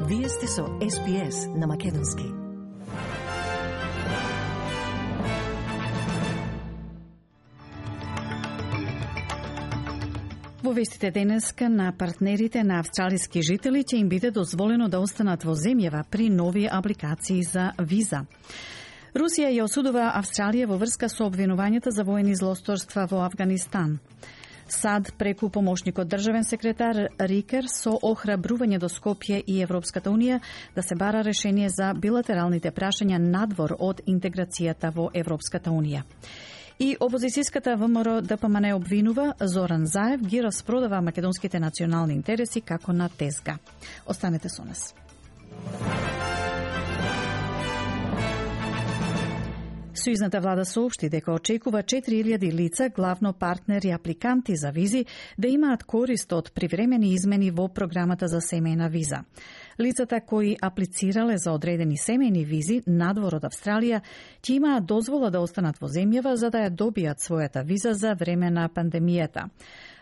Вие сте со SPS на Македонски. Во вестите денеска на партнерите на австралиски жители ќе им биде дозволено да останат во земјава при нови апликации за виза. Русија ја осудува Австралија во врска со обвинувањата за воени злосторства во Авганистан. САД преку помошникот државен секретар Рикер со охрабрување до Скопје и Европската Унија да се бара решение за билатералните прашања надвор од интеграцијата во Европската Унија. И опозицијската ВМРО ДПМН обвинува Зоран Заев ги распродава македонските национални интереси како на тезга. Останете со нас. Сојузната влада соопшти дека очекува 4000 лица, главно партнери и апликанти за визи, да имаат корист од привремени измени во програмата за семејна виза. Лицата кои аплицирале за одредени семејни визи надвор од Австралија ќе имаат дозвола да останат во земјава за да ја добијат својата виза за време на пандемијата.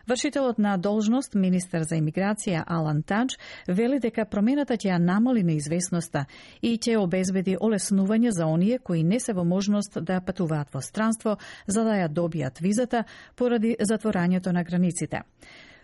Вршителот на должност, министер за имиграција Алан Тадж, вели дека промената ќе ја намали неизвестноста и ќе обезбеди олеснување за оние кои не се во можност да патуваат во странство за да ја добијат визата поради затворањето на границите.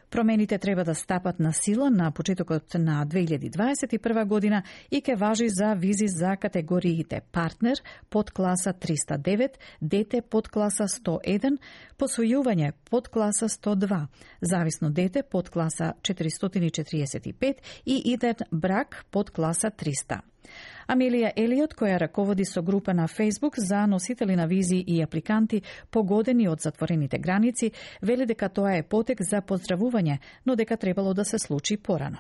Промените треба да стапат на сила на почетокот на 2021 година и ќе важи за визи за категориите партнер под класа 309, дете под класа 101, посвојување под класа 102, зависно дете под класа 445 и иден брак под класа 300. Амелија Елиот, која раководи со група на Facebook за носители на визи и апликанти погодени од затворените граници, вели дека тоа е потек за поздравување, но дека требало да се случи порано.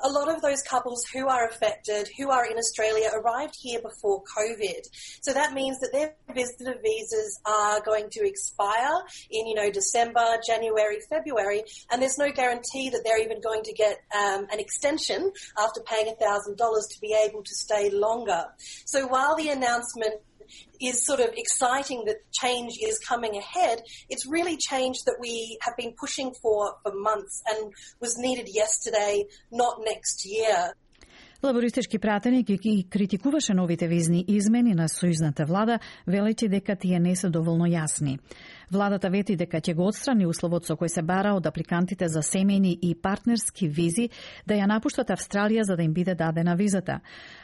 A lot of those couples who are affected, who are in Australia, arrived here before COVID. So that means that their visitor visas are going to expire in, December, January, February, and there's no guarantee that they're even going to get an extension after paying $1,000 to be able to stay longer. So while the announcement is sort of exciting that change is coming ahead, it's really change that we have been pushing for months and was needed yesterday, not next year. Лабористички пратеник ги критикуваше новите визни измени на сојузната влада, велејќи дека тие не се доволно јасни. Владата вети дека ќе го отстрани условот со кој се бара од апликантите за семејни и партнерски визи да ја напуштат Австралија за да им биде дадена визата.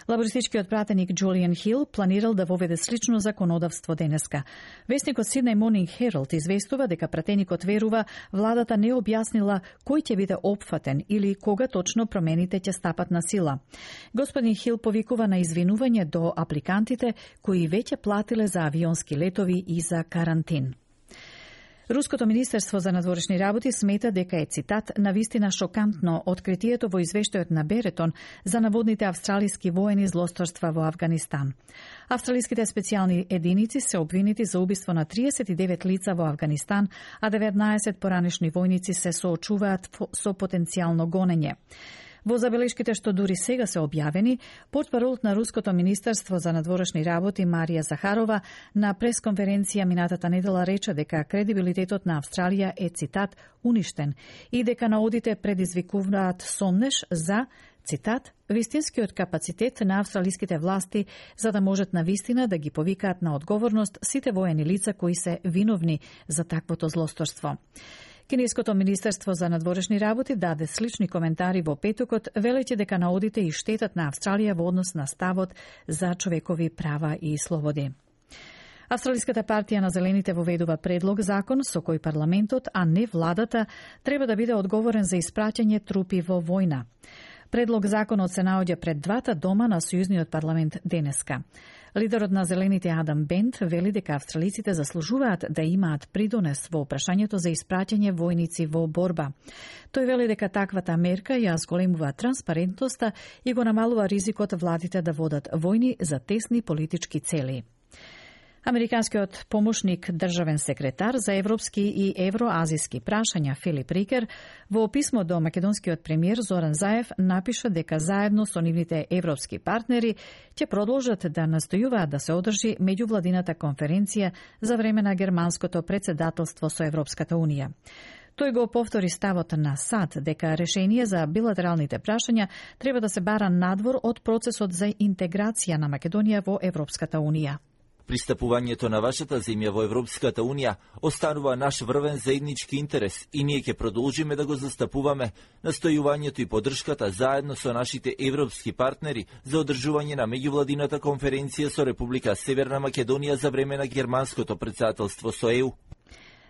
Лабористичкиот пратеник Джулиан Хил планирал да воведе слично законодавство денеска. Весникот Sydney Morning Herald известува дека пратеникот верува владата не објаснила кој ќе биде опфатен или кога точно промените ќе стапат на сила. Господин Хил повикува на извинување до апликантите кои веќе платиле за авионски летови и за карантин. Руското министерство за надворешни работи смета дека е, цитат, навистина шокантно откритието во извештајот на Беретон за наводните австралиски воени злосторства во Авганистан. Австралиските специјални единици се обвинети за убиство на 39 лица во Авганистан, а 19 поранешни војници се соочуваат со потенцијално гонење. Во забелешките што дури сега се објавени, портпаролот на Руското министерство за надворешни работи Марија Захарова на пресконференција минатата недела рече дека кредибилитетот на Австралија е, цитат, уништен и дека наодите предизвикуваат сомнеш за, цитат, вистинскиот капацитет на австралиските власти за да можат на вистина да ги повикаат на одговорност сите воени лица кои се виновни за таквото злосторство. Кинеското министерство за надворешни работи даде слични коментари во петокот, велејќи дека наодите и штетат на Австралија во однос на ставот за човекови права и слободи. Австралиската партија на Зелените воведува предлог закон со кој парламентот, а не владата, треба да биде одговорен за испраќање трупи во војна. Предлог законот се наоѓа пред двата дома на Сојузниот парламент денеска. Лидерот на Зелените Адам Бент вели дека австралиците заслужуваат да имаат придонес во прашањето за испраќање војници во борба. Тој вели дека таквата мерка ја зголемува транспарентноста и го намалува ризикот владите да водат војни за тесни политички цели. Американскиот помошник државен секретар за европски и евроазиски прашања Филип Рикер во писмо до македонскиот премиер Зоран Заев напиша дека заедно со нивните европски партнери ќе продолжат да настојуваат да се одржи меѓувладината конференција за време на германското претседателство со Европската Унија. Тој го повтори ставот на САД дека решение за билатералните прашања треба да се бара надвор од процесот за интеграција на Македонија во Европската Унија. Пристапувањето на вашата земја во Европската Унија останува наш врвен заеднички интерес и ние ќе продолжиме да го застапуваме. Настојувањето и поддршката заедно со нашите европски партнери за одржување на меѓувладината конференција со Република Северна Македонија за време на германското претседателство со ЕУ.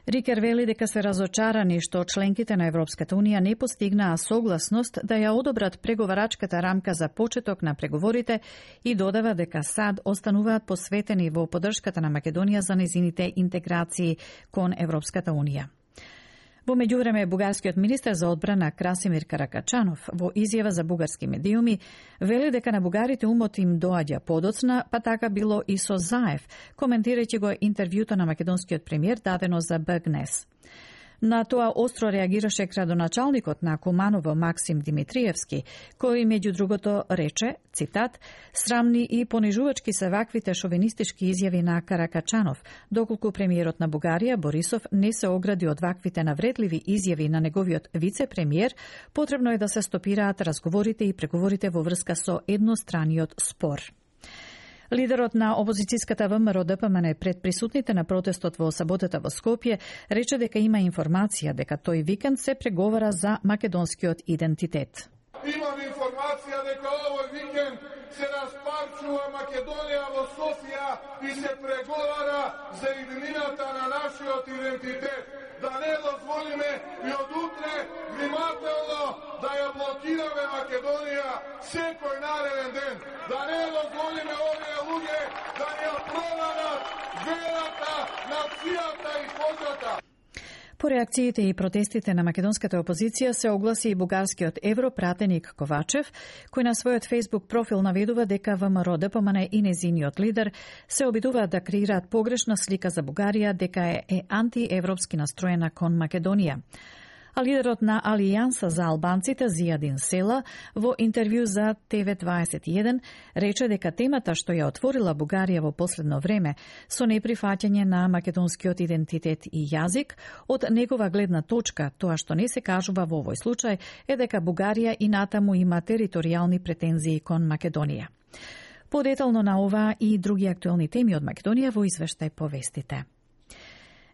Рикер вели дека се разочарани што членките на Европската Унија не постигнаа согласност да ја одобрат преговарачката рамка за почеток на преговорите и додава дека САД остануваат посветени во поддршката на Македонија за незините интеграции кон Европската Унија. Во меѓувреме, бугарскиот министер за одбрана Красимир Каракачанов во изјава за бугарски медиуми вели дека на бугарите умот им доаѓа подоцна, па така било и со Заев, коментирајќи го интервјуто на македонскиот премиер дадено за БГНЕС. На тоа остро реагираше градоначалникот на Куманово Максим Димитриевски, кој меѓу другото рече, цитат, срамни и понижувачки се ваквите шовинистички изјави на Каракачанов, доколку премиерот на Бугарија Борисов не се огради од ваквите навредливи изјави на неговиот вице-премиер, потребно е да се стопираат разговорите и преговорите во врска со едностраниот спор. Лидерот на опозицијската ВМРО ДПМН пред присутните на протестот во саботата во Скопје рече дека има информација дека тој викенд се преговара за македонскиот идентитет. Имам информација дека овој викенд се распарчува Македонија во Софија и се преговара за иднината на нашиот идентитет. Да не дозволиме и од утре внимателно да ја блокираме Македонија секој нареден ден. Да не дозволиме овие луѓе да ја продадат верата, нацијата и кожата. По реакциите и протестите на македонската опозиција се огласи и бугарскиот европратеник Ковачев, кој на својот Facebook профил наведува дека ВМРО ДПМН и незиниот лидер се обидуваат да креираат погрешна слика за Бугарија дека е антиевропски настроена кон Македонија. А лидерот на Алијанса за албанците Зијадин Села во интервју за TV21 рече дека темата што ја отворила Бугарија во последно време со неприфаќање на македонскиот идентитет и јазик, од негова гледна точка, тоа што не се кажува во овој случај е дека Бугарија и натаму има територијални претензии кон Македонија. Подетално на ова и други актуелни теми од Македонија во извештај повестите.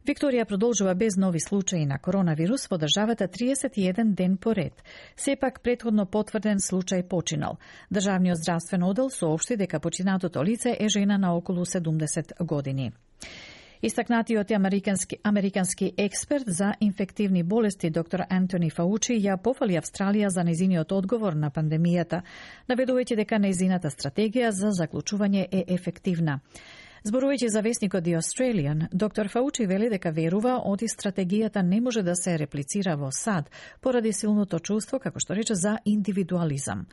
Викторија продолжува без нови случаи на коронавирус во државата 31 ден поред. Сепак претходно потврден случај починал. Државниот здравствен оддел соопшти дека починатото лице е жена на околу 70 години. Истакнатиот американски експерт за инфективни болести доктор Антони Фаучи ја пофали Австралија за незиниот одговор на пандемијата, наведувајќи дека незината стратегија за заклучување е ефективна. Зборувајќи за весникот The Australian, доктор Фаучи вели дека верува оди стратегијата не може да се реплицира во САД поради силното чувство, како што рече, за индивидуализам.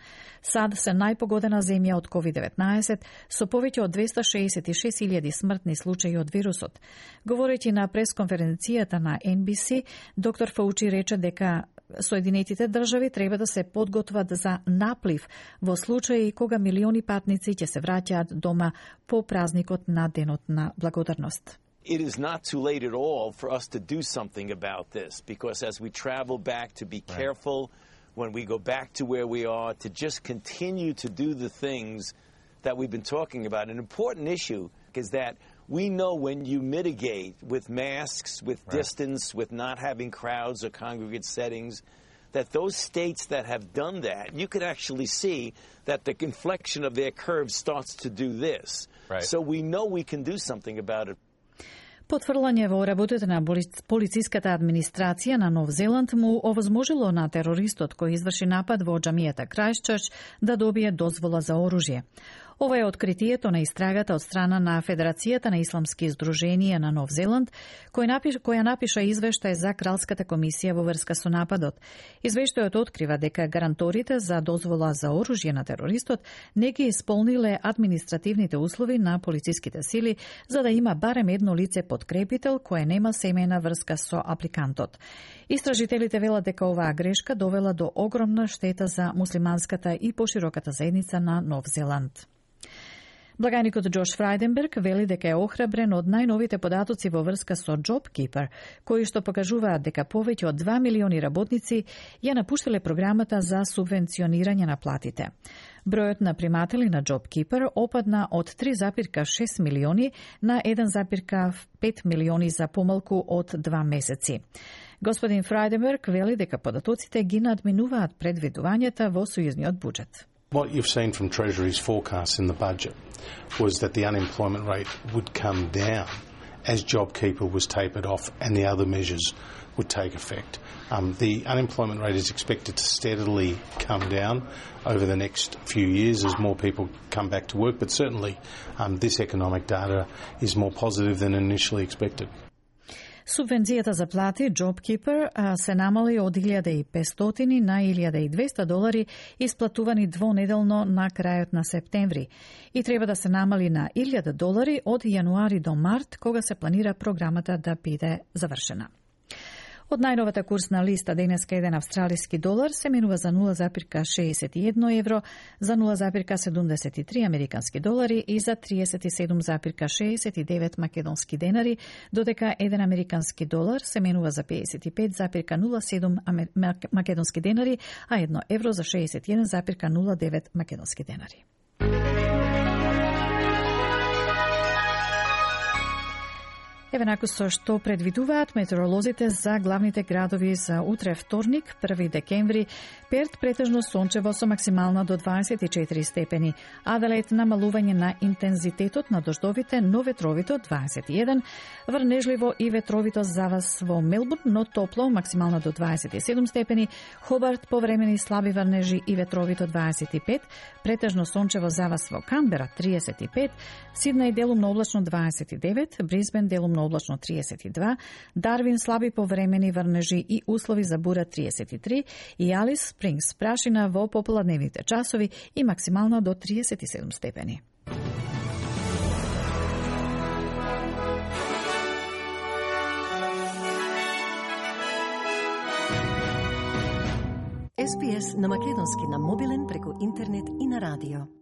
САД се најпогодена земја од COVID-19 со повеќе од 266.000 смртни случаи од вирусот. Говорејќи на пресконференцијата на NBC, доктор Фаучи рече дека Соединетите држави треба да се подготват за наплив во случаи кога милиони патници ќе се враќаат дома по празникот на Денот на благодарност. It is not too late at all for us to do something about this, because as we travel back, to be careful when we go back to where we are, to just continue to do the things that we've been talking about. An important issue is that we know when you mitigate with masks, with distance, with not having crowds or congregate settings, that those states that have done that, you could actually see that the inflection of their curve starts to do this. So we know we can do something about it. Потврлање во работата на полициската администрација на Нов Зеланд му овозможило на терористот кој изврши напад во џамијата Крајстчерч да добие дозвола за оружје. Ова е откритието на истрагата од страна на Федерацијата на исламски издруженија на Нов Зеланд, која напиша извештај за Кралската комисија во врска со нападот. Извештајот открива дека гаранторите за дозвола за оружје на терористот не ги исполниле административните услови на полициските сили за да има барем едно лице подкрепител кое нема семејна врска со апликантот. Истражителите велат дека оваа грешка довела до огромна штета за муслиманската и пошироката заедница на Нов Зеланд. Благајникот Джош Фрајденберг вели дека е охрабрен од најновите податоци во врска со JobKeeper, кои што покажуваат дека повеќе од 2 милиони работници ја напуштиле програмата за субвенционирање на платите. Бројот на приматели на JobKeeper опадна од 3,6 милиони на 1,5 милиони за помалку од 2 месеци. Господин Фрајденберг вели дека податоците ги надминуваат предвидувањата во сојузниот буџет. What you've seen from Treasury's forecasts in the budget was that the unemployment rate would come down as JobKeeper was tapered off and the other measures would take effect. The unemployment rate is expected to steadily come down over the next few years as more people come back to work, but certainly this economic data is more positive than initially expected. Субвенцијата за плати JobKeeper се намали од $1,500 на $1,200 исплатувани двонеделно на крајот на септември и треба да се намали на $1,000 од јануари до март, кога се планира програмата да биде завршена. Од најновата курсна листа денеска еден австралиски долар се менува за 0,61 евро, за 0,73 американски долари и за 37,69 македонски денари, додека еден американски долар се менува за 55,07 македонски денари, а 1 евро за 61,09 македонски денари. Еве наку со што предвидуваат метеоролозите за главните градови за утре вторник, 1 декември. Перт претежно сончево со максимална до 24 степени. Аделаид намалување на интензитетот на дождовите, но ветровито 21. Врнежливо и ветровито за вас во Мелбурн, но топло, максимална до 27 степени. Хобарт повремени слаби врнежи и ветровито 25. Претежно сончево за вас во Канбера 35. Сиднеј делумно облачно 29. Брисбен делумно облачно 32, Дарвин слаби повремени врнежи и услови за бура 33 и Алис Спрингс прашина во пополадневните часови и максимално до 37 степени. SPS на македонски на мобилен преку интернет и на радио.